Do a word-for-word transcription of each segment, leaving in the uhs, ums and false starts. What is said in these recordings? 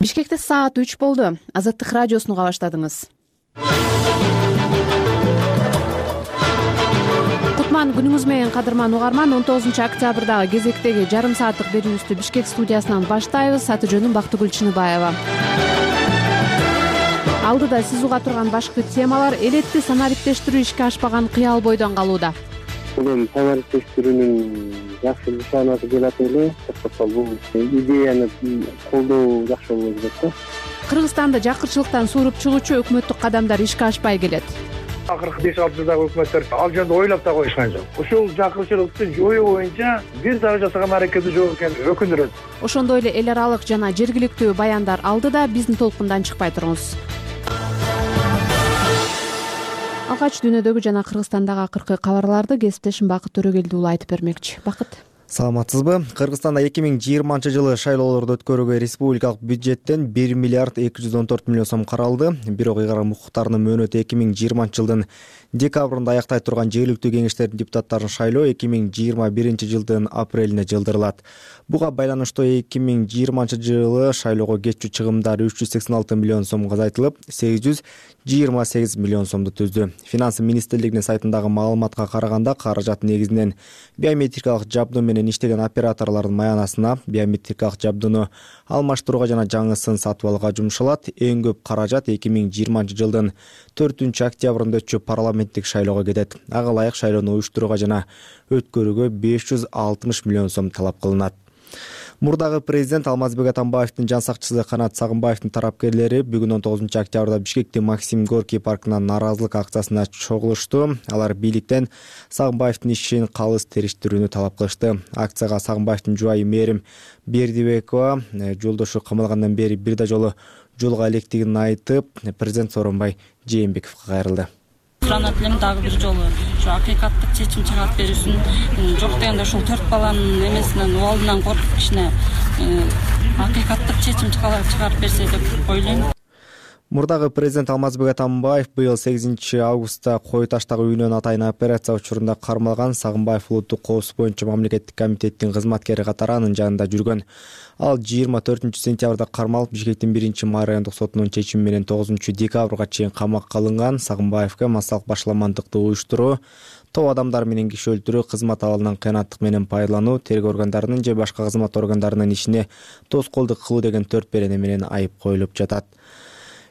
Бишкекте саат үч болду. Азаттык радиосуну уга баштадыңыз. Кутман күнүңүз менен, кадырман угарман. он тогузунчу октябрдагы кезектеги жарым сааттык берүүбүздү Бишкек студиясынан баштайбыз. Аты жөнүм Бактыгүл Чыныбаева. Алдыда сиз уга турган башкы темалар: элетти санариптештирүү ишке ашпаган кыял бойдон калууда. Мен санариптештирүүнүн жакшы нышанасы деп атып эле. Бул идеяны колдоо жакшы болот деп да. Кыргызстанда жакырчылыктан сууруп чыгуучу өкмөттүк кадамдар ишке ашпай келет. Акыркы беш алты жылдагы өкмөттөр ал жөнүндө ойлоп да коюшкан жок. Ушул жакырчылыкты жоюу боюнча бир дагы жасаган аракети жок экени өкүндүрөт. Ошондой эле эл аралык жана жергиликтүү баяндар алдыда. Биздин толкундан чыкпай туруңуз. Алгач дүйнөдөгү жана Кыргызстандагы акыркы кабарларды кесиптешим Бакыт Төрөгелди уулу айтып бермекчи. Бакыт. Саламатсызбы? Кыргызстанда эки миң жыйырманчы жылы шайлоолорду өткөрүүгө республикалык бюджеттен бир миллиард эки жүз он төрт миллион сом каралды. Бирок ыйгарым укуктарынын мөөнөтү эки миң жыйырманчы жылдын декабрында аяктай турган жергиликтүү кеңештердин депутаттарын шайлоо эки миң жыйырма биринчи жылдын апрелине жылдырылат. Буга байланыштуу эки миң жыйырманчы жылы шайлоого кетчү чыгымдар үч жүз сексен алты миллион сомго азайтылып, сегиз жүз жыйырма сегиз миллион сомду түздү. Финансы министрлигинин сайтындагы маалыматка караганда, каражат негизинен биометрикалык жабдуу менен иштеген операторлордун маянасына, биометрикалык жабдууну алмаштырууга жана жаңысын сатып алууга жумшалат. Эң көп каражат эки миң жыйырманчы жылдын төртүнчү октябрында өтчү парламенттик шайлоого кетет. Ага ылайык шайлоону уюштурууга жана өткөрүүгө беш жүз алтымыш миллион сом талап кылынат. Мурдагы президент Алмазбек Атамбаевдин жан сакчысы Канат Сагынбаевдин тарапкерлери бүгүн он тогузунчу октябрда Бишкектин Максим Горький паркынан нааразылык акциясына чогулушту. Алар бийликтен Сагынбаевдин ишин калыс териштирүүнү талап кылышты. Акцияга Сагынбаевдин жубайы Мээрим Бердибекова жолдошу камалгандан бери бир да жолу жолго электигин айтып, президент Сооронбай Жээнбековго кайрылды. Суранат элем дагы бир жолу ушу акыйкаттык чечим чыгарып берүүсүн, жок дегенде ушул төрт баланын эмесинен убалдынан коркуп кичине акыйкаттык чечим чыгарып берсе деп ойлойм. Мурдагы президент Алмазбек Атамбаев быйыл сегизинчи августта Кой таштагы үйүнөн атайын операция учурунда кармалган. Сагынбаев улуттук коопсуздук боюнча мамлекеттик комитеттин кызматкери катары анын жанында жүргөн. Ал жыйырма төртүнчү сентябрда кармалып, Бишкектин биринчи райондук сотунун чечими менен тогузунчу декабрга чейин камакка алынган. Сагынбаевге массалык башаламандыкты уюштуруу, топ адамдар менен киши өлтүрүү, кызмат абалынан кыянаттык менен пайдалануу, тергөө органдарынын же башка кызмат органдарынын ишине тоскоолдук кылуу деген төрт берене менен айып коюлуп жатат.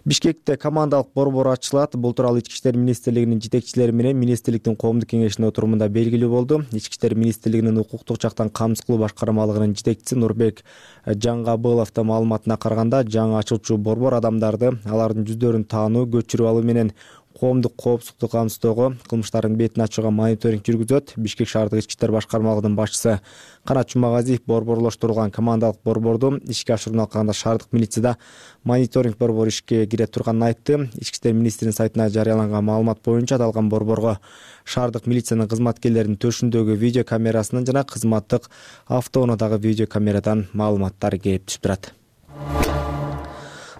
Бишкекте командалык борбор ачылат. Бул тууралуу Ички иштер министрлигинин жетекчилери менен министрликтин коомдук кеңешинин отурумунда белгилүү болду. Ички иштер министрлигинин укуктук жактан камсыз кылуу башкармалыгынын жетекчиси Нурбек Жаңгабыловдун маалыматына караганда, жаңы ачылчу борбор адамдарды, алардын жүздөрүн таануу, көчүрүп алуу менен коомдук коопсуздукту камсыздоого, кылмыштардын бетин ачууга мониторинг жүргүзөт. Бишкек шаардык ички иштер башкармалыгынын башчысы Канат Жумагазиев борборлоштурулган командалык борборду ишке ашырууну алганда шаардык милицияда мониторинг борбору ишке кире турганын айтты. Ички иштер министринин сайтына жарыяланган маалымат боюнча аталган борборго шаардык милициянын кызматкерлеринин төшүндөгү видео камерасынан жана кызматтык автоунаадагы видео камерадан маалыматтар келип түшүп турат.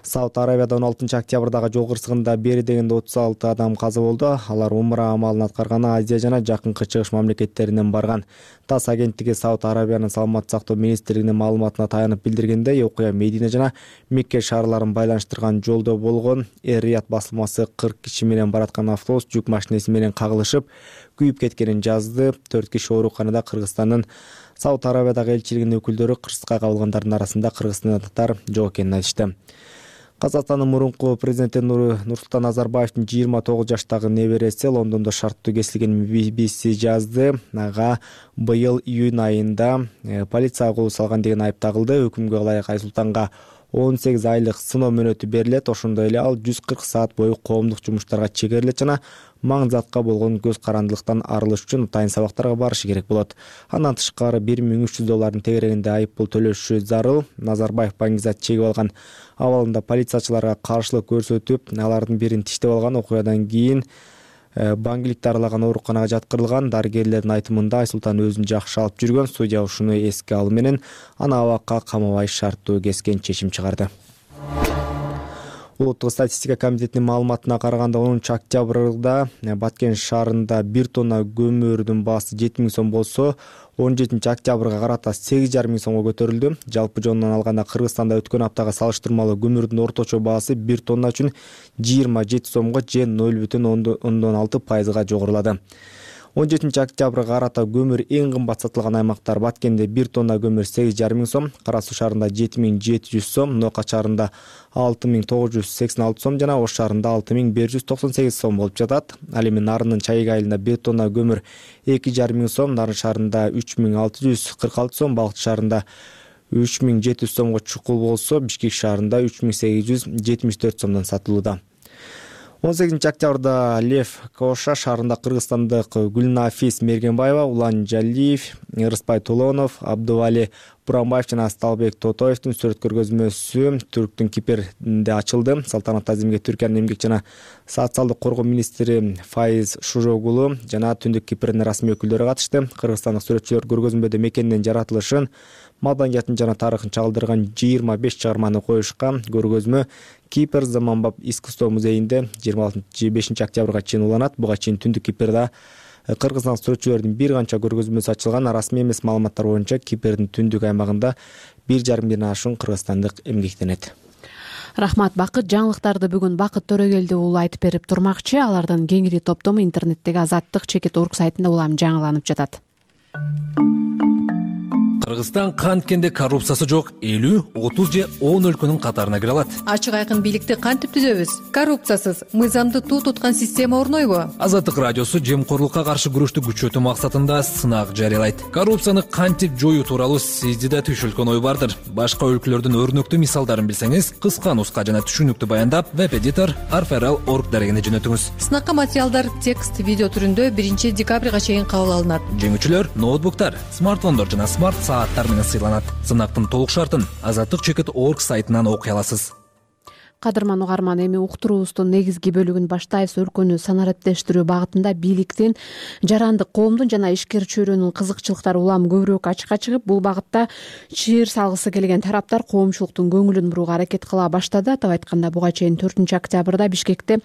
Сауд Арабияда он алтынчы октябрдагы жол кырсыгында бери дегенде отуз алты адам каза болду. Алар умра амалын аткарганы Азия жана Жакынкы Чыгыш мамлекеттеринен барган. ТАСС агенттиги Сауд Арабиянын саламаттык сактоо министрлигинин маалыматына таянып билдиргендей, окуя Медина жана Мекке шаарларын байланыштырган жолдо болгон. Эр-Рият басылмасы кырк киши менен бараткан автобус жүк машинеси менен кагылышып, күйүп кеткенин жазды. төрт киши ооруканада. Кыргызстандын Сауд Арабиядагы элчилигинин өкүлдөрү кырсыкка кабылгандардын арасында кыргызстандыктар жок экенин айтышты. Казакстандын мурунку президенти Нурсултан Назарбаевдин жыйырма тогуз жаштагы небереси Лондондо шарттуу кесилген би би си жазды. Ага быйыл июнь айында полицияга кол салган деген айып тагылды. Өкүмгө ылайык Айсултанга он сегиз айлык сыноо мөөнөтү берилет. Ошондой эле ал жүз кырк саат бою коомдук жумуштарга чегерилет жана маңзатка болгон көз карандылыктан арылыш үчүн атайын сабактарга барышы керек болот. Андан тышкары бир миң үч жүз доллардын тегерегинде айып пул төлөшү зарыл. Назарбаев баңгизат чегип алган абалында полициячыларга каршылык көрсөтүп, алардын бирин тиштеп алган. Окуядан кийин баңгиликти аралаган ооруканага жаткырылган. Дарыгерлердин айтымында Айсултан өзүн жакшы алып жүргөн. Судья ушуну эске алуу менен аны абакка камабай шарттуу кескен чечим чыгарды. Улуттук статистика комитетинин маалыматына караганда онунчу октябрда Баткен шаарында бир тонна көмүрдүн баасы жети миң сом болсо, он жетинчи октябрга карата сегиз жарым миң сомго көтөрүлдү. Жалпы жонунан алганда Кыргызстанда өткөн аптага салыштырмалуу көмүрдүн орточо баасы бир тонна үчүн жыйырма жети сомго же ноль бүтүн ондон алты пайызга жогорулады. он жетинчи октябрга карата көмүр эң кымбат сатылган аймактар: Баткенде бир тонна көмүр сегиз жарым миң сом, Кара Суу шаарында жети миң жети жүз сом, Ноокат шаарында алты миң тогуз жүз сексен алты сом жана Ош шаарында алты миң бир жүз токсон сегиз сом болуп жатат. Ал эми Нарындын Чайык айылында бир тонна көмүр эки жарым миң сом, Нарын шаарында үч миң алты жүз кырк алты сом, Балыкчы шаарында үч миң жети жүз сомго чукул болсо, Бишкек шаарында үч миң сегиз жүз жетимиш төрт сомдон сатылууда. он сегизинчи октябрда Лев Коша шаарында кыргызстандык Гүлнафис Мергенбаева, Улан Жалиев, Ырысбай Толонов, Абдували Буранбаев жана Сталбек Тотоевдун сүрөт көргөзмөсү Түрктүн Кипринде ачылды. Салтанат азимге Түркиянын эмгек жана социалдык коргоо министри Файыз Шужогулу жана Түндүк Кипрдин расмий өкүлдөрү катышты. Кыргызстандык сүрөтчүлөр көргөзмөдө мекендин жаратылышын, маданиятын жана тарыхын чагылдырган жыйырма беш чыгарманы коюшкан. Көргөзмө Кипр заманбап искусство музейинде жыйырма бешинчи октябрга чейин уланат. Буга чейин Түндүк Кипрде кыргызстан сүрөтчүлөрдүн бир канча көргөзмөсү ачылган. Расмий эмес маалыматтар боюнча Кипрдин түндүк аймагында бир жарым миңден ашуун кыргызстандык эмгектенет. Рахмат Бакыт. Жаңылыктарды бүгүн Бакыт Төрөгелди уулу айтып берип турмакчы. Алардын кеңири топтому интернеттеги азаттык чекит точка орг сайтында улам жаңыланып жатат. Кыргызстан канткенде коррупциясы жок элүү, отуз же он өлкөнүн катарына кире алат. Ачык айкын бийликти кантип түзөбүз? Коррупциясыз, мыйзамды туу туткан система орнойбу? Азаттык радиосу жемкорлукка каршы күрөштү күчөтүү максатында сынак жарыялайт. Коррупцияны кантип жоюу тууралуу сизде да түшүлгөн ой бардыр. Башка өлкөлөрдүн өрнөктүү мисалдарын билсеңиз, кыска нуска жана түшүнүктүү баяндап, веб-эдитор арферал точка орг дарегине жөнөтүңүз. Сынакка материалдар текст, видео түрүндө биринчи декабрга чейин кабыл алынат. Жеңүүчүлөр ноутбуктар, смартфондор жана смарт сааттар менен сыйланат. Сынактын толук шартын азаттык чекит точка орг сайтынан окуй аласыз. Кадырман угарман, эми уктуруубуздун негизги бөлүгүн баштайбыз. Өлкөнү санариптештирүү багытында бийликтин, жарандык коомдун жана ишкер чөйрөнүн кызыкчылыктары улам көбүрөөк ачыкка чыгып, бул багытта чыйыр салгысы келген тараптар коомчулуктун көңүлүн бурууга аракет кыла баштады. Атап айтканда, буга чейин төртүнчү октябрда Бишкекте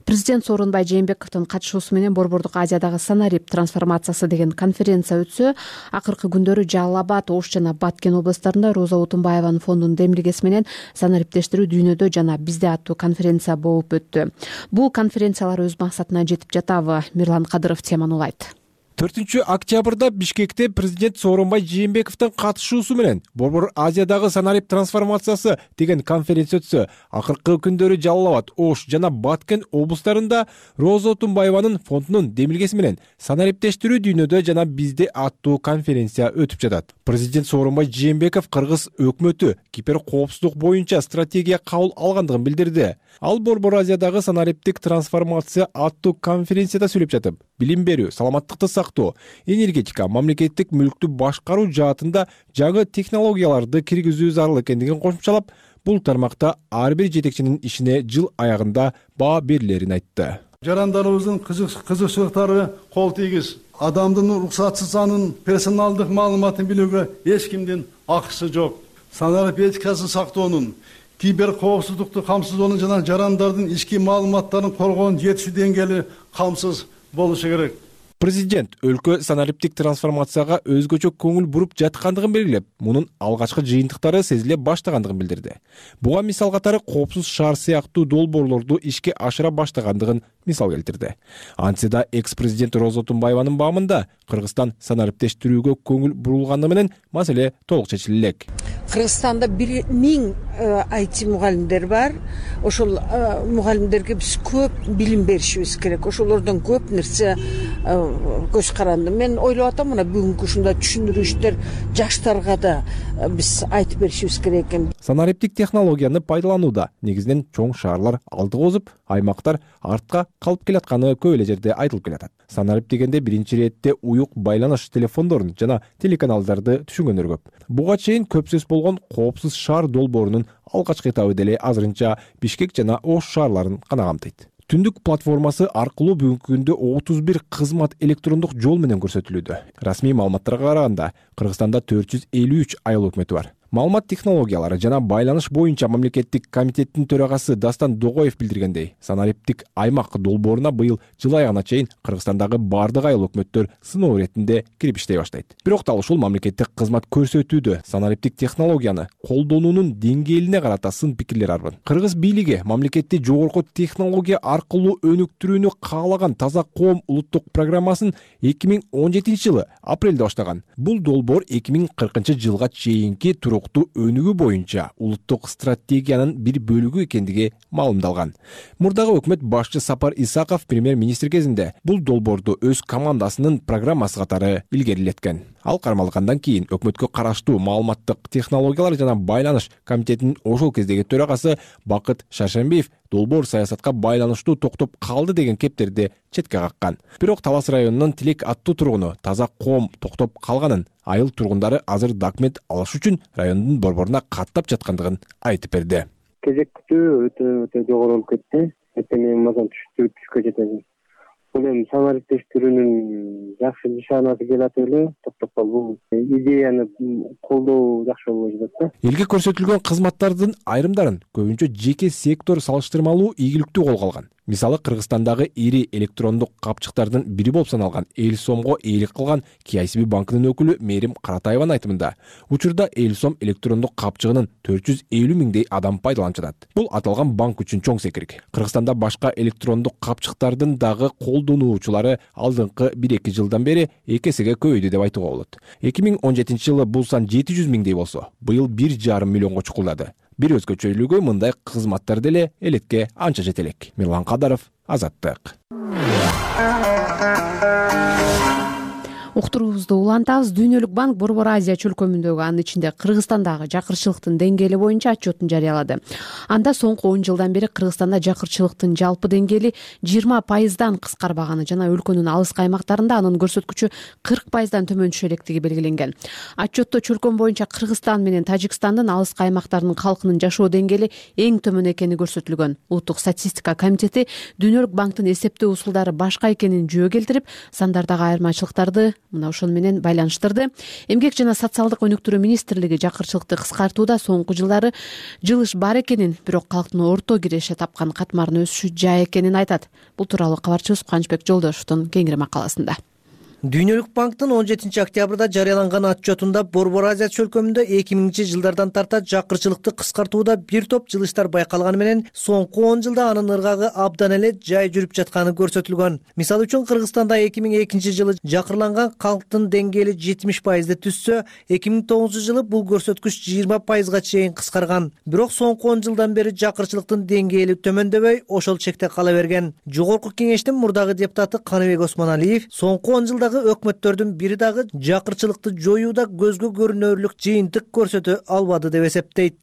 президент Сооронбай Жээнбековдун катышуусу менен Борбордук Азиядагы санарип трансформациясы деген конференция өтсө, акыркы күндөрү Жалал Абад, Ош жана Баткен областарында Роза Утунбаеванын фондунун демилгеси менен санариптештирүү дүйнөдө жана бизде аттуу конференция болуп өттү. Бул конференциялар өз максатына жетип жатабы? Мирлан Кадыров теманы улайт. төртүнчү октябрда Бишкекте президент Сооронбай Жээнбековдун катышуусу менен Борбор Азиядагы санарип трансформациясы деген конференция өтсө, акыркы күндөрү Жалал Абад, Ош жана Баткен облустарында Роза Утунбаеванын фондунун демилгеси менен санариптештирүү дүйнөдө жана бизде аттуу конференция өтүп жатат. Президент Сооронбай Жээнбеков Кыргыз өкмөтү кибер коопсуздук боюнча стратегия кабыл алгандыгын билдирди. Ал Борбор Азиядагы санариптик трансформация аттуу конференцияда сүйлөп жатып, билим берүү, саламаттыкты сактоо, энергетика, мамлекеттик мүлктү башкаруу жаатында жаңы технологияларды киргизүү зарыл экендигин кошумчалап, бул тармакта ар бир жетекчинин ишине жыл аягында баа берилерин айтты. Жарандарыбыздын кызыкчылыктары кол тийгиз. Адамдын уруксатсыз анын персоналдык маалыматын билүүгө эч кимдин акысы жок. Санарип этикасын сактоонун, кибер коопсуздукту камсыздоонун жана жарандардын ички маалыматтарын коргоонун жетишүү деңгээли камсыз болушу керек. Президент өлкө санариптик трансформацияга өзгөчө көңүл буруп жаткандыгын белгилеп, мунун алгачкы жыйынтыктары сезиле баштагандыгын билдирди. Буга мисал катары коопсуз шаар сыяктуу долбоорлорду ишке ашыра баштагандыгын мисал келтирди. Антсе да экс-президент Роза Утунбаеванын баамында Кыргызстан санариптештирүүгө көңүл бурулганы менен маселе толук чечиле элек. Кыргызстанда бир миң ай ти мугалимдер бар. Ошол мугалимдерге биз көп билим беришибиз керек. Ошолордон көп нерсе көз каранды. Мен ойлоп атам, мына бүгүнкү ушундай түшүндүрүү иштер жаштарга да биз айтып беришибиз керек экен. Санариптик технологияны пайдаланууда негизинен чоң шаарлар алдыга озуп, аймактар артка калып келатканы көп эле жерде айтылып келатат. Санарип дегенде биринчи иретте уюк байланыш телефондорун жана телеканалдарды түшүнгөндөр көп. Буга чейин көп сөз болгон коопсуз шаар долбоорунун алгачкы этабы деле азырынча Бишкек жана Ош шаарларын гана камтыйт. Түндүк платформасы аркылуу бүгүнкү күндө отуз бир кызмат электрондук жол менен көрсөтүлүүдө. Расмий маалыматтарга караганда, Кыргызстанда төрт жүз элүү үч айыл өкмөтү бар. Маалымат технологиялары жана байланыш боюнча мамлекеттик комитеттин төрагасы Дастан Догоев билдиргендей, санариптик аймак долбооруна быйыл жыл аягына чейин Кыргызстандагы бардык айыл өкмөттөр сыноо иретинде кирип иштей баштайт. Бирок дал ушул мамлекеттик кызмат көрсөтүүдө санариптик технологияны колдонуунун деңгээлине карата сын пикирлер арбын. Кыргыз бийлиги мамлекетти жогорку технология аркылуу өнүктүрүүнү каалаган Таза коом улуттук программасын эки миң он жетинчи жылы апрелде баштаган. Бул долбоор эки миң кыркынчы жылга чейинки туруктуу өнүгүү боюнча улуттук стратегиянын бир бөлүгү экендиги маалымдалган. Мурдагы өкмөт башчы Сапар Исаков премьер-министр кезинде бул долбоорду өз командасынын программасы катары илгерилеткен. Ал кармалгандан кийин өкмөткө караштуу маалыматтык технологиялар жана байланыш комитетинин ошол кездеги төрагасы Бакыт Шаршембиев долбоор саясатка байланыштуу токтоп калды деген кептерди четке каккан. Бирок Талас районунун Тилек аттуу тургуну Таза коом токтоп калганын, айыл тургундары азыр документ алыш үчүн райондун борборуна каттап жаткандыгын айтып берди. Кезек күтүү өтө өтө жогору болуп кетти. Этең мазан түшкө жетеби. Бул эми санариптештирүүнүн жакшы нишанасы келат эле. Токтоп бул идеяны колдоо жакшы болуп жатат. Элге көрсөтүлгөн кызматтардын айрымдарын көбүнчө жеке сектор салыштырмалуу ийгиликтүү колго алган. Мисалы, Кыргызстандагы ири электрондук капчыктардын бири болуп саналган Элсомго ээлик кылган Ки Ай Си Би банкынын өкүлү Мээрим Каратаеванын айтымында, учурда Элсом электрондук капчыгынын төрт жүз элүү миңдей адам пайдаланып жатат. Бул аталган банк үчүн чоң секирик. Кыргызстанда башка электрондук капчыктардын дагы колдонуучулары алдыңкы бир эки жылдан бери эки эсеге көбөйдү деп айтууга болот. эки миң он жетинчи жылы бул сан жети жүз миңдей болсо, быйыл бир жарым миллионго чукулдады. Бир өзгөчөлүгү мындай кызматтар деле элекке анча жете элек. Мирлан Кадаров, Азаттык. Уктуруубузду улантабыз. Дүйнөлүк банк Борбор Азия чөлкөмүндөгү, анын ичинде Кыргызстандагы жакырчылыктын деңгээли боюнча отчетун жарыялады. Анда соңку он жылдан бери Кыргызстанда жакырчылыктын жалпы деңгээли жыйырма пайыздан кыскарбаганы жана өлкөнүн алыскы аймактарында анын көрсөткүчү кырк пайыздан төмөн түшө электиги белгиленген. Отчетто чөлкөм боюнча Кыргызстан менен Тажикстандын алыскы аймактарынын калкынын жашоо деңгээли эң төмөн экени көрсөтүлгөн. Улуттук статистика комитети Дүйнөлүк банктын эсептөө усулдары башка экенин жөө келтирип, сандардагы айырмачылыктарды мына ошону менен байланыштырды. Эмгек жана социалдык өнүктүрүү министрлиги жакырчылыкты кыскартууда соңку жылдары жылыш бар экенин, бирок калктын орто киреше тапкан катмарынын өсүшү жай экенин айтат. Бул тууралуу кабарчыбыз Кубанычбек Жолдошевдун кеңири макаласында. Дүйнөлүк банктын он жетинчи октябрда жарыяланган отчетунда Борбор Азия чөлкөмүндө эки миңинчи жылдардан тарта жакырчылыкты кыскартууда бир топ жылыштар байкалганы менен соңку он жылда анын ыргагы абдан эле жай жүрүп жатканы көрсөтүлгөн. Мисалы үчүн Кыргызстанда эки миң экинчи жылы жакырланган калктын деңгээли жетимиш пайызды түзсө, эки миң тогузунчу жылы бул көрсөткүч жыйырма пайызга чейин кыскарган. Бирок соңку он жылдан бери жакырчылыктын деңгээли төмөндөбөй, ошол чекте кала берген. Жогорку кеңештин мурдагы депутаты Каныбек Осмоналиев соңку он жылда өкмөттөрдүн бири дагы жакырчылыкты жоюуда көзгө көрүнөрлүк жыйынтык көрсөтө албады деп эсептейт.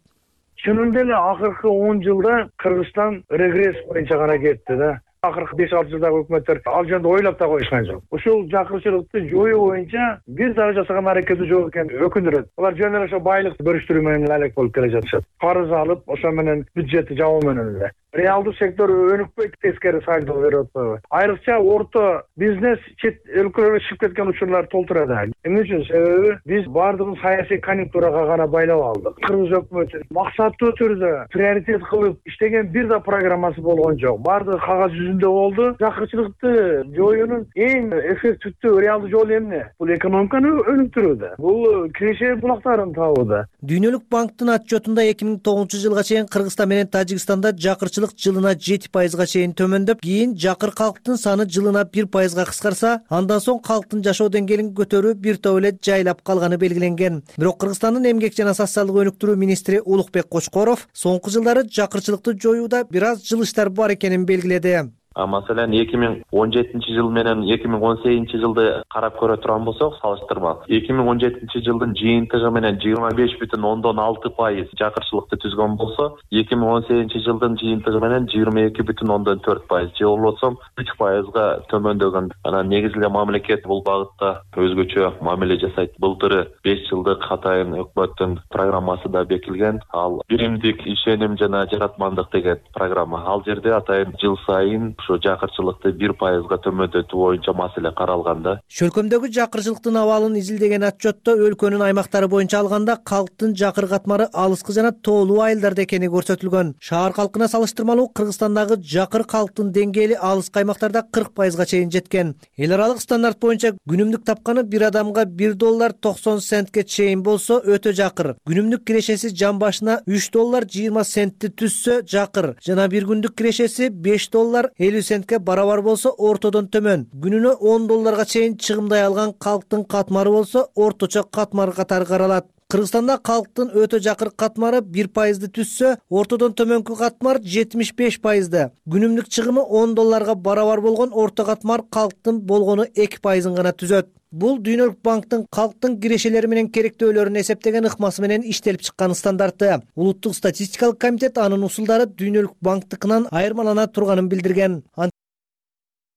Чынында эле акыркы он жылда Кыргызстан регресс боюнча гана кетти да. Акыркы беш алты жылдагы өкмөттөр ал жөнүндө ойлоп да коюшкан жок. Ушул жакырчылыкты жоюу боюнча бир дагы жасаган аракети жок экени өкүндүрөт. Алар жөн эле ошо байлыкты бөлүштүрүү менен алек болуп келе жатышат. Карыз алып, ошо менен бюджетти жабуу менен эле. Реалдуу сектор өнүкпөйт, тескери салдоо берип атпайбы? Айрыкча орто бизнес чет өлкөлөргө чыгып кеткен учурлар толтурат. Эмне үчүн? Себеби биз бардыгын саясий конъюнктурага гана байлап алдык. Кыргыз өкмөтү максаттуу түрдө приоритет кылып иштеген бир да программасы болгон жок. Бардыгы кагаз жүзүндө болду. Жакырчылыкты жоюунун эң эффективдүү реалдуу жолу эмне? Бул экономиканы өнүктүрүүдө. Бул киреше булактарын табууда. Дүйнөлүк банктын отчетунда эки миң тогузунчу жылга чейин Кыргызстан менен Тажикстанда жакырчылык жылына жети пайызга чейин төмөндөп, кийин жакыр калктын саны жылына бир пайызга кыскарса, андан соң калктын жашоо деңгээлин көтөрүү бир топ эле жайлап калганы белгиленген. Бирок Кыргызстандын эмгек жана социалдык өнүктүрүү министри Улукбек Кочкоров соңку жылдары жакырчылыкты жоюуда бир аз жылыштар бар экенин белгиледи. Маселен эки миң он жетинчи жыл менен эки миң он сегизинчи жылды карап көрө турган болсок, салыштырма эки миң он жетинчи жылдын жыйынтыгы менен жыйырма беш бүтүн ондон алты пайыз жакырчылыкты түзгөн болсо, эки миң он сегизинчи жылдын жыйынтыгы менен жыйырма эки бүтүн ондон төрт пайыз, же болбосо үч пайызга төмөндөгөн. Анан негизи эле мамлекет бул багытта өзгөчө мамиле жасайт. Былтыры беш жылдык атайын өкмөттүн программасы да бекилген. Ал биримдик ишеним жана жаратмандык деген программа. Ал жерде атайын жыл сайын ушу жакырчылыкты бир пайызга төмөндөтүү боюнча маселе каралган да. Чөлкөмдөгү жакырчылыктын абалын изилдеген отчетто өлкөнүн аймактары боюнча алганда калктын жакыр катмары алыскы жана тоолуу айылдарда экени көрсөтүлгөн. Шаар калкына салыштырмалуу Кыргызстандагы жакыр калктын деңгээли алыскы аймактарда кырк пайызга чейин жеткен. Эл аралык стандарт боюнча күнүмдүк тапканы бир адамга бир доллар токсон центке чейин болсо өтө жакыр. Күнүмдүк кирешеси жан башына үч доллар жыйырма центти түзсө жакыр жана бир күндүк кирешеси беш доллар элүү центке барабар болсо ортодон төмөн. Күнүнө он долларга чейин чыгымдай алган калктын катмары болсо орточо катмар катары каралат. Кыргызстанда калктын өтө жакыр катмары бир пайызды түзсө, ортодон төмөнкү катмар жетимиш беш пайызды. Күнүмдүк чыгымы он долларга барабар болгон орто катмар калктын болгону эки пайызын гана түзөт. Бул Дүйнөлүк банктын калктын кирешелери менен керектөөлөрүн эсептеген ыкмасы менен иштелип чыккан стандарты. Улуттук статистикалык комитет анын усулдары Дүйнөлүк банктыкынан айырмалана турганын билдирген.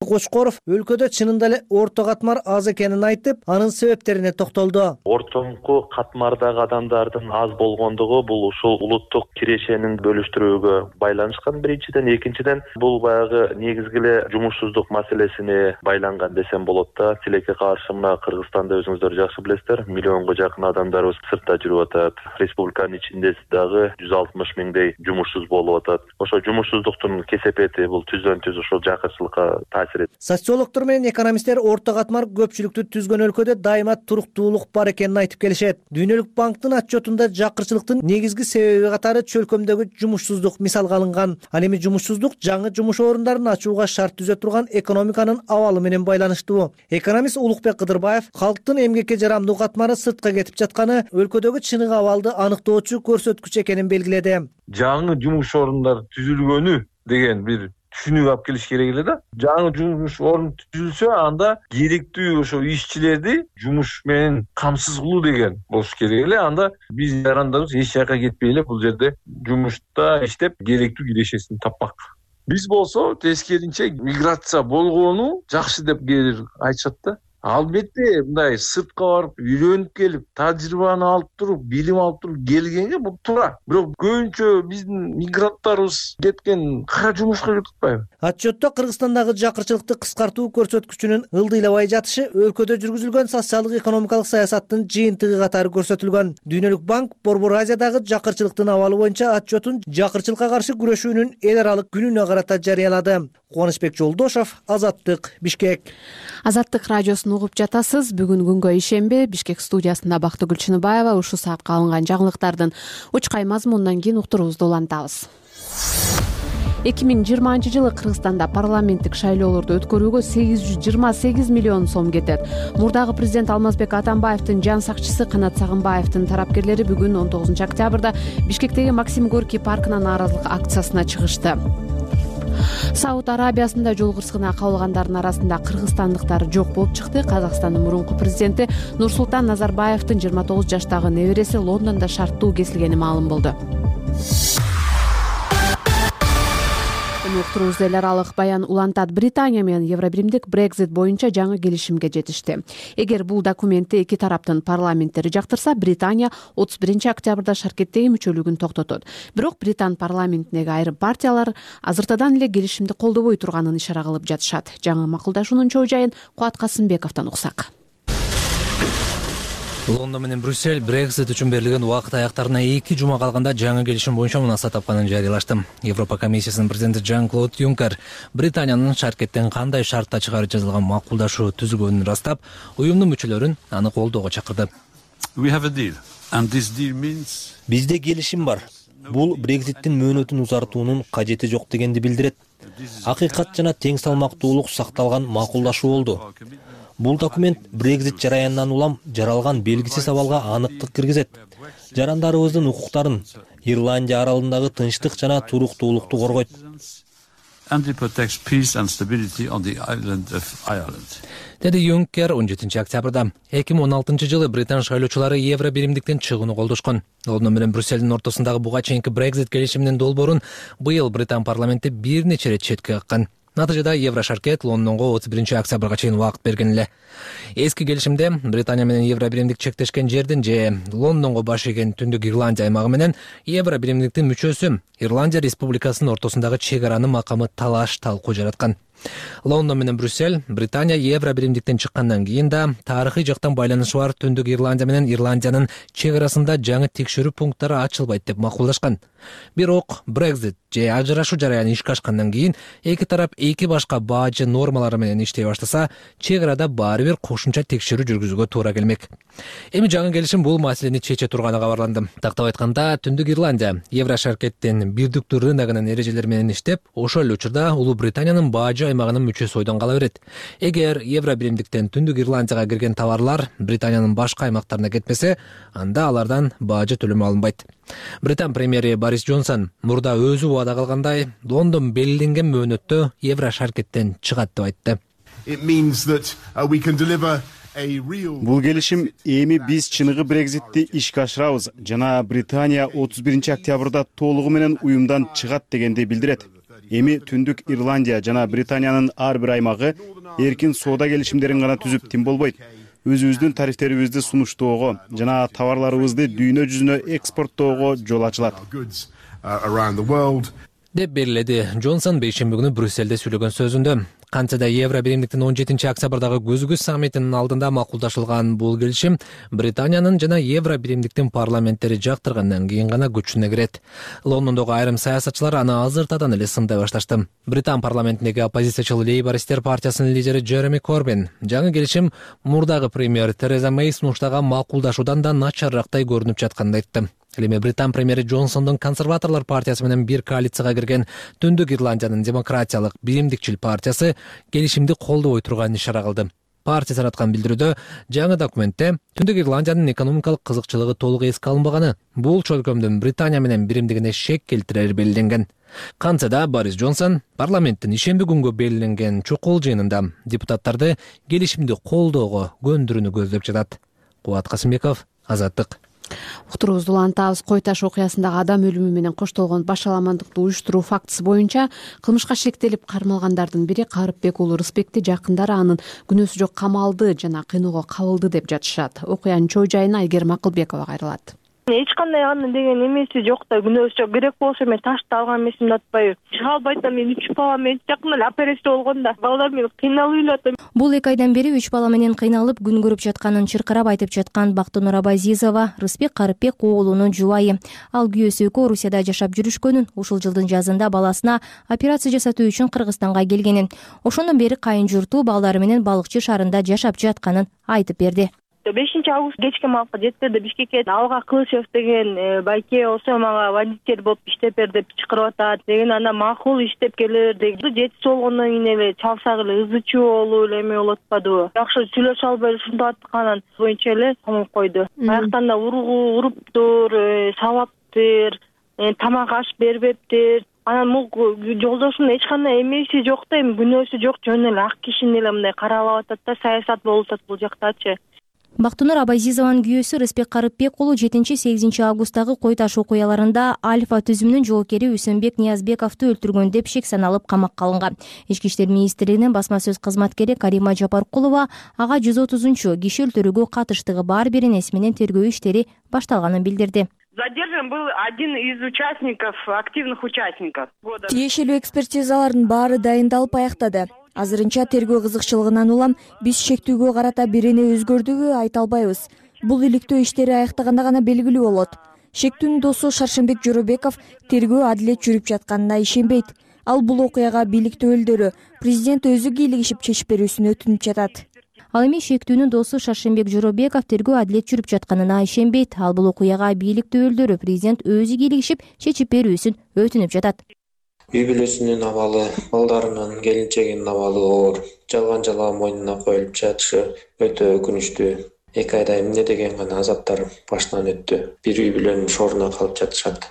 Кочкоров өлкөдө чынында эле орто катмар аз экенин айтып, анын себептерине токтолду. Ортомку катмардагы адамдардын аз болгондугу бул ушул улуттук кирешенин бөлүштүрүүгө байланышкан биринчиден, экинчиден бул баягы негизги эле жумушсуздук маселесине байланган десем болот да. Тилекке каршы мына Кыргызстанда өзүңүздөр жакшы билесиздер, миллионго жакын адамдарыбыз сыртта жүрүп атат. Республиканын ичинде дагы жүз алтымыш миңдей жумушсуз болуп атат. Ошо жумушсуздуктун кесепети бул түздөн түз ушул жакырчылыкка таасир. Социологдор менен экономисттер орто катмар көпчүлүктү түзгөн өлкөдө дайыма туруктуулук бар экенин айтып келишет. Дүйнөлүк банктын отчетунда жакырчылыктын негизги себеби катары чөлкөмдөгү жумушсуздук мисалга алынган. Ал эми жумушсуздук жаңы жумуш орундарын ачууга шарт түзө турган экономиканын абалы менен байланыштуу. Экономист Улукбек Кыдырбаев калктын эмгекке жарамдуу катмары сыртка кетип жатканы өлкөдөгү чыныгы абалды аныктоочу көрсөткүч экенин белгиледи. Жаңы жумуш орундары түзүлгөнү деген бир түшүнүк алып келиш керек эле да. Жаңы жумуш орун түзүлсө, анда керектүү ошо ишчилерди жумуш менен камсыз кылуу деген болуш керек эле. Анда биз жарандарыбыз эч жака кетпей эле бул жерде жумушта иштеп керектүү кирешесин таппак. Биз болсо тескеринче миграция болгону жакшы деп кээде айтышат да. Албетте мындай сыртка барып үйрөнүп келип, тажрыйбаны алып туруп, билим алып туруп келгенге бул туура. Бирок көбүнчө биздин мигранттарыбыз кеткен кара жумушка кетип атпайбы? Отчетто Кыргызстандагы жакырчылыкты кыскартуу көрсөткүчүнүн ылдыйлабай жатышы өлкөдө жүргүзүлгөн социалдык экономикалык саясаттын жыйынтыгы катары көрсөтүлгөн. Дүйнөлүк банк Борбор Азиядагы жакырчылыктын абалы боюнча отчетун жакырчылыкка каршы күрөшүүнүн эл аралык күнүнө карата жарыялады. Кубанычбек Жолдошов, Азаттык, Бишкек. Азаттык радиосун угуп жатасыз. Бүгүн күнгө ишемби, Бишкек студиясында Бактыгүл Чыныбаева ушул саатка алынган жаңылыктардын учкай мазмунунан кийин уктуруубузду улантабыз. эки миң жыйырманчы жылы Кыргызстанда парламенттик шайлоолорду өткөрүүгө сегиз жүз жыйырма сегиз миллион сом кетет. Мурдагы президент Алмазбек Атамбаевдин жан сакчысы Канат Сагынбаевдин тарапкерлери бүгүн он тогузунчу октябрда Бишкектеги Максим Горький паркына нааразылык акциясына чыгышты. Сауд Арабиясында жол кырсыгына кабылгандардын арасында кыргызстандыктар жок болуп чыкты. Казакстандын мурунку президенти Нурсултан Назарбаевдин жыйырма тогуз жаштагы небереси Лондондо шарттуу кесилгени маалым болду. Уктуруубуз эл аралык баян улантат. Британия менен Евробиримдик Brexit боюнча жаңы келишимге жетишти. Эгер бул документти эки тараптын парламенттери жактырса, Британия отуз биринчи октябрда шаркеттеги мүчөлүгүн токтотот. Бирок Британ парламентиндеги айрым партиялар азыртадан эле келишимди колдобой турганын ишара кылып жатышат. Жаңы макулдашуунун чоо жайын Кубат Касымбековдон уксак. Лондон менен Брюссель Brexit үчүн берилген убакыт аяктарына эки жума калганда жаңы келишим боюнча мунаса тапканын жарыялашты. Европа комиссиясынын президенти Жан-Клод Юнкер Британиянын шаркеттен кандай шартта чыгарып жазылган макулдашуу түзүлгөнүн ырастап, уюмдун мүчөлөрүн аны колдоого чакырды. Бизде келишим бар. Бул Brexit'тин мөөнөтүн узартуунун кажети жок дегенди билдирет. Акыйкат жана тең салмактуулук сакталган макулдашуу болду. Бул документ Brexit жараянынан улам жаралган белгисиз абалга аныктык киргизет. Жарандарыбыздын укуктарын, Ирландия аралындагы тынчтык жана туруктуулукту коргойт. Деди Юнкер он жетинчи октябрда. эки миң он алтынчы жылы британ шайлоочулары Евробиримдиктен чыгууну колдошкон. Лондон менен Брюссельдин ортосундагы буга чейинки Brexit келишиминин долбоорун быйыл британ парламенти бир нече ирет четке каккан. Натыйжада Еврошаркет Лондонго отуз биринчи октябрга чейин убакыт берген эле. Эски келишимде Британия менен Евро биримдик чектешкен жердин же Лондонго баш ийген Түндүк Ирландия аймагы менен Евро биримдиктин мүчөсү Ирландия Республикасынын ортосундагы чек аранын макамы талаш талкуу жараткан. Лондон менен Брюссель Британия Евро биримдиктен чыккандан кийин да тарыхый жактан байланышы бар Түндүк Ирландия менен Ирландиянын чек арасында жаңы текшерүү пункттары ачылбайт деп макулдашкан. Бирок Brexit же ажырашуу жараяны ишке ашкандан кийин эки тарап эки башка баажы нормалары менен иштей баштаса, чек арада баары бир кошумча текшерүү жүргүзүүгө туура келмек. Эми жаңы келишим бул маселени чече турганы кабарланды. Тактап айтканда, Түндүк Ирландия Еврошаркеттин бирдиктүү рыногунун эрежелери менен иштеп, ошол эле учурда Улуу Британиянын баажы аймагынын мүчөсү ойдон кала берет. Эгер Евро биримдиктен Түндүк Ирландияга кирген товарлар Британиянын башка аймактарына кетпесе, анда алардан баажы төлөмү алынбайт. Британ премьери Борис Джонсон мурда өзү убада кылгандай, Лондон белгиленген мөөнөттө Еврошаркеттен чыгат деп айтты. Бул келишим эми биз чыныгы Брекзитти ишке ашырабыз жана Британия отуз биринчи октябрда толугу менен уюмдан чыгат дегенди билдирет. Эми Түндүк Ирландия жана Британиянын ар бир аймагы эркин соода келишимдерин гана түзүп тим болбойт. Өзүбүздүн тарифтерибизди сунуштоого жана товарларыбызды дүйнө жүзүнө экспорттоого жол ачылат деп белгиледи Джонсон бейшемби күнү Брюссельде сүйлөгөн сөзүндө. Кантсе да Евро биримдиктин он жетинчи октябрдагы көзгүс саммитинин алдында макулдашылган бул келишим Британиянын жана Евро биримдиктин парламенттери жактыргандан кийин гана күчүнө кирет. Лондондогу айрым саясатчылар аны азыртадан эле сындай башташты. Британ парламентиндеги оппозициячыл Лейбористер партиясынын лидери Джереми Корбин жаңы келишим мурдагы премьер Тереза Мэй сунуштаган макулдашуудан да начаррактай көрүнүп жатканын айтты. Ал эми Британ премьери Джонсондун консерваторлор партиясы менен бир коалицияга кирген Түндүк Ирландиянын демократиялык биримдикчил партиясы келишимди колдобой турганын ишара кылды. Партия тараткан билдирүүдө жаңы документте Түндүк Ирландиянын экономикалык кызыкчылыгы толук эске алынбаганы, бул чөлкөмдүн Британия менен биримдигине шек келтирери белгиленген. Кантсе да Борис Джонсон парламенттин ишемби күнгө белгиленген чукул жыйынында депутаттарды келишимди колдоого көндүрүүнү көздөп жатат. Кубат Касымбеков, Азаттык. Уктуруубузду улантабыз. Кой таш окуясындагы адам өлүмү менен коштолгон башаламандыкты уюштуруу фактысы боюнча кылмышка шектелип кармалгандардын бири Карыпбек уулу Рысбекти жакындары анын күнөөсү жок камалды жана кыйноого кабылды деп жатышат. Окуянын чоо жайына Айгерим Акылбекова кайрылат. Эч кандай анын деген эмеси жок да, күнөөсү жок. Керек болсо мен ташты алган эмесимди атпайбы. Чыга албайт да, мен үч бала менен жакында эле операция болгон да. Балдар менен кыйналып эле. Бул эки айдан бери үч бала менен кыйналып күн көрүп жатканын чыркырап айтып жаткан Бактынур Абазизова Рысбек Карыпбек уулунун жубайы. Ал күйөөсү экөө Орусияда жашап жүрүшкөнүн, ушул жылдын жазында баласына операция жасатуу үчүн Кыргызстанга келгенин, ошондон бери кайын журту балдары менен Балыкчы шаарында жашап жатканын айтып берди. бешинчи август кечки маалга жеттерде Бишкекке Алга Кылычев деген байке болсо мага водитель болуп иштеп бер деп чакырып атат деген, анда макул иштеп келер деген. Жети болгондон кийин эле чалсак эле ызы чуу болуп эле эме болуп атпадыбы. Жакшы сүйлөшө албай эле ушундай атканын боюнча эле камап койду. Аяктан да ургу уруптур, сабаптыр, тамак аш бербептир. Анан бул жолдошунун эч кандай эмеси жок да, эми күнөөсү жок, жөн эле ак кишини эле мындай каралап атат да, саясат болуп атат бул жактачы. Бактынур Абазизованын күйөөсү Рысбек Карыпбек уулу жетинчи-сегизинчи августтагы Кой таш окуяларында Альфа түзүмүнүн жоокери Үсөнбек Ниязбековду өлтүргөн деп шек саналып камакка алынган. Ички иштер министрлигинин басма сөз кызматкери Карима Жапаркулова ага жүз отузунчу киши өлтүрүүгө катыштыгы бар бир энеси менен тергөө иштери башталганын билдирди. Задержан был один из участников, активных участников. Тиешелүү экспертизалардын баары дайындалып аяктады. Азырынча тергөө кызыкчылыгынан улам биз шектүүгө карата бирене өзгөрдүгү айта албайбыз. Бул иликтөө иштери аяктаганда гана белгилүү болот. Шектүүнүн досу Шаршембек Жоробеков тергөө адилет жүрүп жатканына ишенбейт. Ал бул окуяга бийлик өкүлдөрү, президент өзү кийлигишип чечип берүүсүн өтүнүп жатат. Ал эми шектүүнүн досу Шаршембек Жоробеков тергөө адилет жүрүп жатканына ишенбейт. Ал бул окуяга бийлик өкүлдөрү, президент өзү кийлигишип чечип берүүсүн өтүнүп жатат. Үй бүлөсүнүн абалы, балдарынын, келинчегинин абалы оор, жалган жалаа мойнуна коюлуп жатышы өтө өкүнүчтүү. Эки айда эмне деген гана азаптар башынан өттү. Бир үй бүлөнүн шооруна калып жатышат.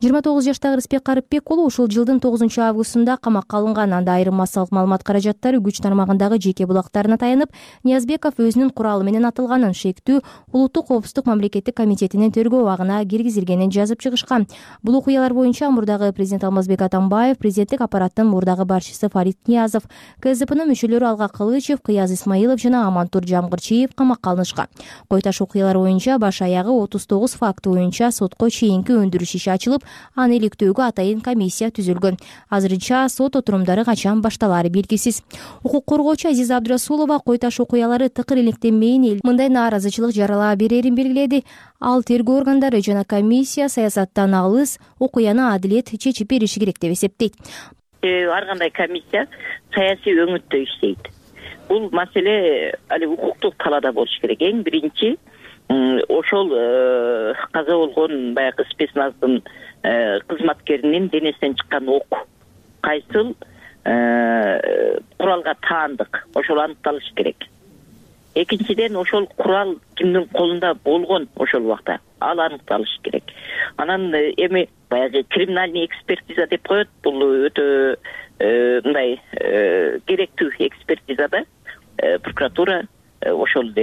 жыйырма тогуз жаштагы Рыспек Карыпбек уулу ушул жылдын тогузунчу августунда камакка алынган. Анда айрым массалык маалымат каражаттары күч тармагындагы жеке булактарына таянып, Ниязбеков өзүнүн куралы менен атылганын, шектүү улуттук коопсуздук мамлекеттик комитетинин тергөө абагына киргизилгенин жазып чыгышкан. Бул окуялар боюнча мурдагы президент Алмазбек Атамбаев, президенттик аппараттын мурдагы башчысы Фарид Ниязов, КСДПнын мүчөлөрү Алга Кылычев, Кыяз Исмаилов жана Амантур Жамгырчиев камакка алынышкан. Койташ окуялар боюнча баш аягы отуз тогуз факты боюнча сотко чейинки өндүрүш иши ачылып, аны иликтөөгө атайын комиссия түзүлгөн. Азырынча сот отурумдары качан башталаары белгисиз. Укук коргоочу Азиза Абдырасулова Койташ окуялары тыкыр иликтенмейин, эл мындай нааразычылык жарала берерин белгиледи. Ал тергөө органдары жана комиссия саясаттан алыс окуяны адилет чечип бериши керек деп эсептейт. Ар кандай комиссия саясий өңүттө иштейт. Бул маселе али укуктук талаада болуш керек. Эң биринчи ошол каза болгон баягы спецназдын кызматкеринин денесинен чыккан ок кайсыл куралга таандык, ошол аныкталыш керек. Экинчиден ошол курал кимдин колунда болгон ошол убакта ал аныкталыш керек. Анан эми баягы криминальный экспертиза деп коет, бул өтө мындай керектүү экспертизада прокуратура ошол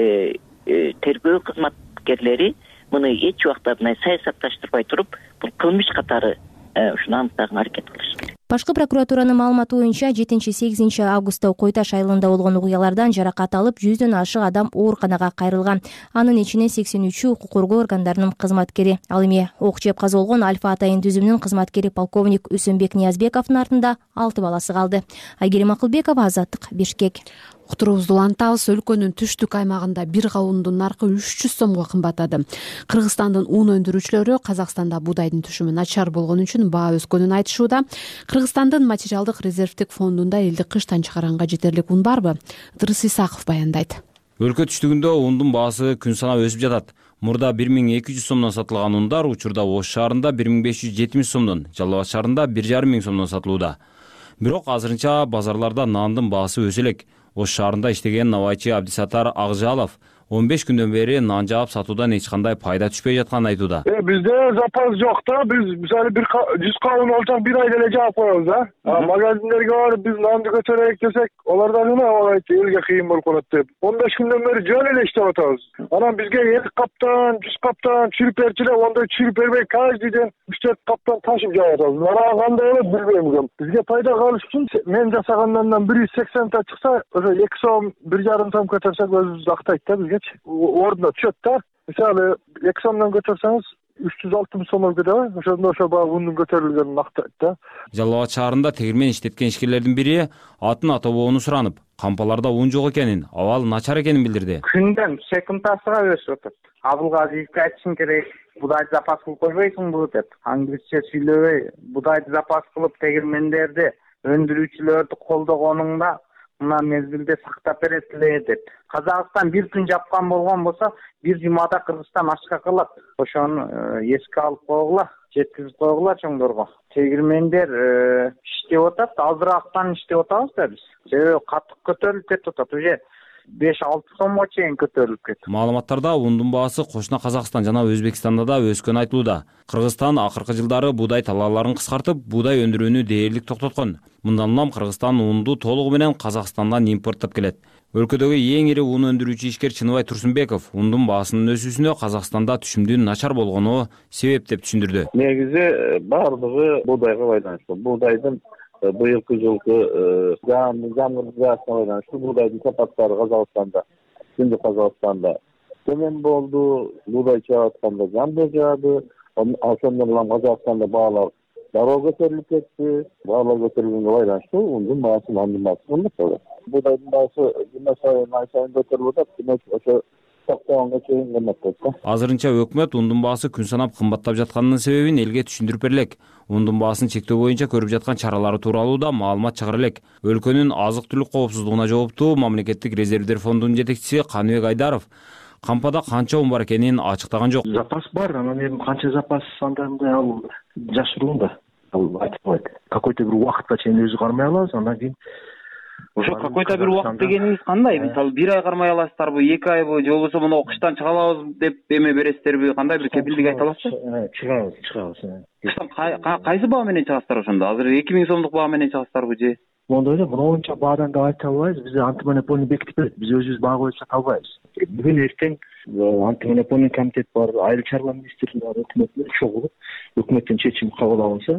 тергөө кызматкерлери муну эч убакта мындай саясатташтырбай туруп, бул кылмыш катары ушуну аныктаганга аракет кылыш керек. Башкы прокуратуранын маалыматы боюнча жетинчи-сегизинчи августта Койташ айылында болгон окуялардан жаракат алып, жүздөн ашык адам ооруканага кайрылган. Анын ичинен сексен үчү укук коргоо органдарынын кызматкери. Ал эми ок жеп каза болгон Альфа атайын түзүмүнүн кызматкери полковник Үсөнбек Ниязбековдун артында алты баласы калды. Айгерим Акылбекова, Азаттык, Бишкек. Уктуруубузду улантабыз. Өлкөнүн түштүк аймагында бир кабундун наркы үч жүз сомго кымбаттады. Кыргызстандын ун өндүрүүчүлөрү Казакстанда буудайдын түшүмү начар болгон үчүн баа өскөнүн айтышууда. Кыргызстандын материалдык резервдик фондунда элди кыштан чыгаранга жетерлик ун барбы? Дырыс Исаков баяндайт. Өлкө түштүгүндө ундун баасы күн санап өсүп жатат. Мурда бир миң эки жүз сомдон сатылган ундар учурда Ош шаарында бир миң беш жүз жетимиш сомдон, Жалал Абад шаарында бир жарым миң сомдон сатылууда. Бирок азырынча базарларда нандын баасы өсө элек. Ош шаарында иштеген набайчы Абдисатар Акжалов он беш күндөн бери нан жаап сатуудан эч кандай пайда түшпөй жатканын айтууда. Э бизде запас жок да. Биз мисалы бир жүз кабын алсак бир ай деле жаап коебуз да. Магазиндерге барып биз нанды көтөрөйүк десек, олар да эме айтты, элге кыйын болуп калат деп. он беш күндөн бери жөн эле иштеп атабыз. Анан бизге элүү каптан, жүз каптан чүрүп берчилер, ондой чүрүп бербей каждый ден үч төрт каптан ташып жаап атабыз. Анан кандай болот билбейм экен. Бизге пайда калыш үчүн мен жасагандан бир жүз сексен та чыкса, ошо эки сом, бир жарым сом көтөрсөк өзүбүздү актайт да бизге. Ордуна түшөт да. Мисалы эки сомдон көтөрсөңүз үч жүз алтымыш сом болду да. Ошондо ошо баягы ундун көтөрүлгөнүн актайт да. Жалал Абад шаарында тегирмен иштеткен ишкерлердин бири атын атабоону суранып, кампаларда ун жок экенин, абал начар экенин билдирди. Күндөн секундасыга өсүп атат. Абылгазиевге айтышың керек, будайды запас кылып койбойсуңбу деп. Англисче сүйлөбөй, будайды запас кылып тегирмендерди, өндүрүүчүлөрдү колдогонуңда мына мезгилде сактап бересилер деп. Казакстан бир күн жапкан болгон болсо, бир жумада Кыргызстан ачка калат. Ошону эске алып койгула, жеткизип койгула чоңдорго. Тегирмендер иштеп атат, азыраактан иштеп атабыз да биз. Себеби катык көтөрүлүп кетип атат, уже беш алты сомго чейин көтөрүлүп кетти. Маалыматтарда ундун баасы кошуна Казакстан жана Өзбекстанда да өскөнү айтылууда. Кыргызстан акыркы жылдары буудай талааларын кыскартып, буудай өндүрүүнү дээрлик токтоткон. Мындан улам Кыргызстан унду толугу менен Казакстандан импорттоп келет. Өлкөдөгү эң ири ун өндүрүүчү ишкер Чыныбай Турсунбеков ундун баасынын өсүүсүнө Казакстанда түшүмдүн начар болгону себеп деп түшүндүрдү. Негизи баардыгы буудайга байланыштуу. Буудайдын быйылкы жылкы жаңыргасына байланыштуу буудайдын сапаттары Казакстанда, Түндүк Казакстанда төмөн болду. Буудай чыгып атканда жаңбыр жаады. Ошондон улам Казакстанда баалар дароо көтөрүлүп кетти. Баалар көтөрүлгөнгө байланыштуу ундун баасы, нандын баасы кымбаттады. Буудайдын баасы жыйырма сайын ай сайын көтөрүлүп атат. Демек ошо токтогонго чейин кымбаттайт да. Азырынча өкмөт ундун баасы күн санап кымбаттап жатканынын себебин элге түшүндүрүп берлек. Ундун баасын чектөө боюнча көрүп жаткан чаралары тууралуу да маалымат чыгара элек. Өлкөнүн азык-түлүк коопсуздугуна жооптуу мамлекеттик резервдер фондунун жетекчиси Каныбек Айдаров кампада канча ун бар экенин ачыктаган жок. Запас бар, анан эми канча запас анда мындай ал жашыруун да. Ал айтылбайт. Какой-то бир убакытка чейин өзү кармай алабыз, андан кийин ошо какой то бир убакыт дегениңиз кандай? Мисалы бир ай кармай аласыздарбы, эки айбы же болбосо мына кыштан чыга алабыз деп эме бересиздерби? Кандай бир кепилдик айта аласызбы? Чыгабыз, чыгабыз. Кыштан кайсы баа менен чыгасыздар ошондо? Азыр эки миң сомдук баа менен чыгасыздарбы же? Моундай эле, монча баадан да айта албайбыз. Биз антимонополия бекитип берет. Биз өзүбүз баа коюп сата албайбыз. Бүгүн эртең антимонополия комитет бар, айыл чарба министрлиги бар, өкмөт менен чогулуп, өкмөттөн чечим кабыл алынса,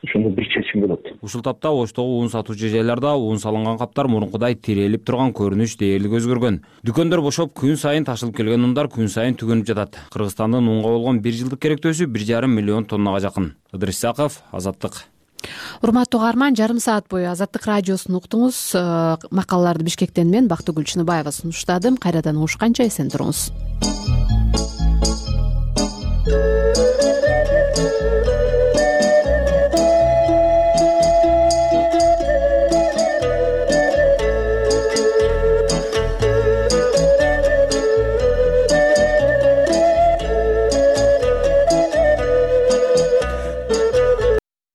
ошондо бир чечим болот. Ушул тапта Оштогу ун сатуучу жайларда ун салынган каптар мурункудай тирелип турган көрүнүш дээрлик өзгөргөн. Дүкөндөр бошоп, күн сайын ташылып келген ундар күн сайын түгөнүп жатат. Кыргызстандын унга болгон бир жылдык керектөөсү бир жарым миллион тоннага жакын. Ыдырыс Исаков, Азаттык. Урматтуу угарман, жарым саат бою Азаттык радиосун уктуңуз. Макалаларды Бишкектен мен Бактыгүл Чыныбаева сунуштадым. Кайрадан угушканча эсен туруңуз.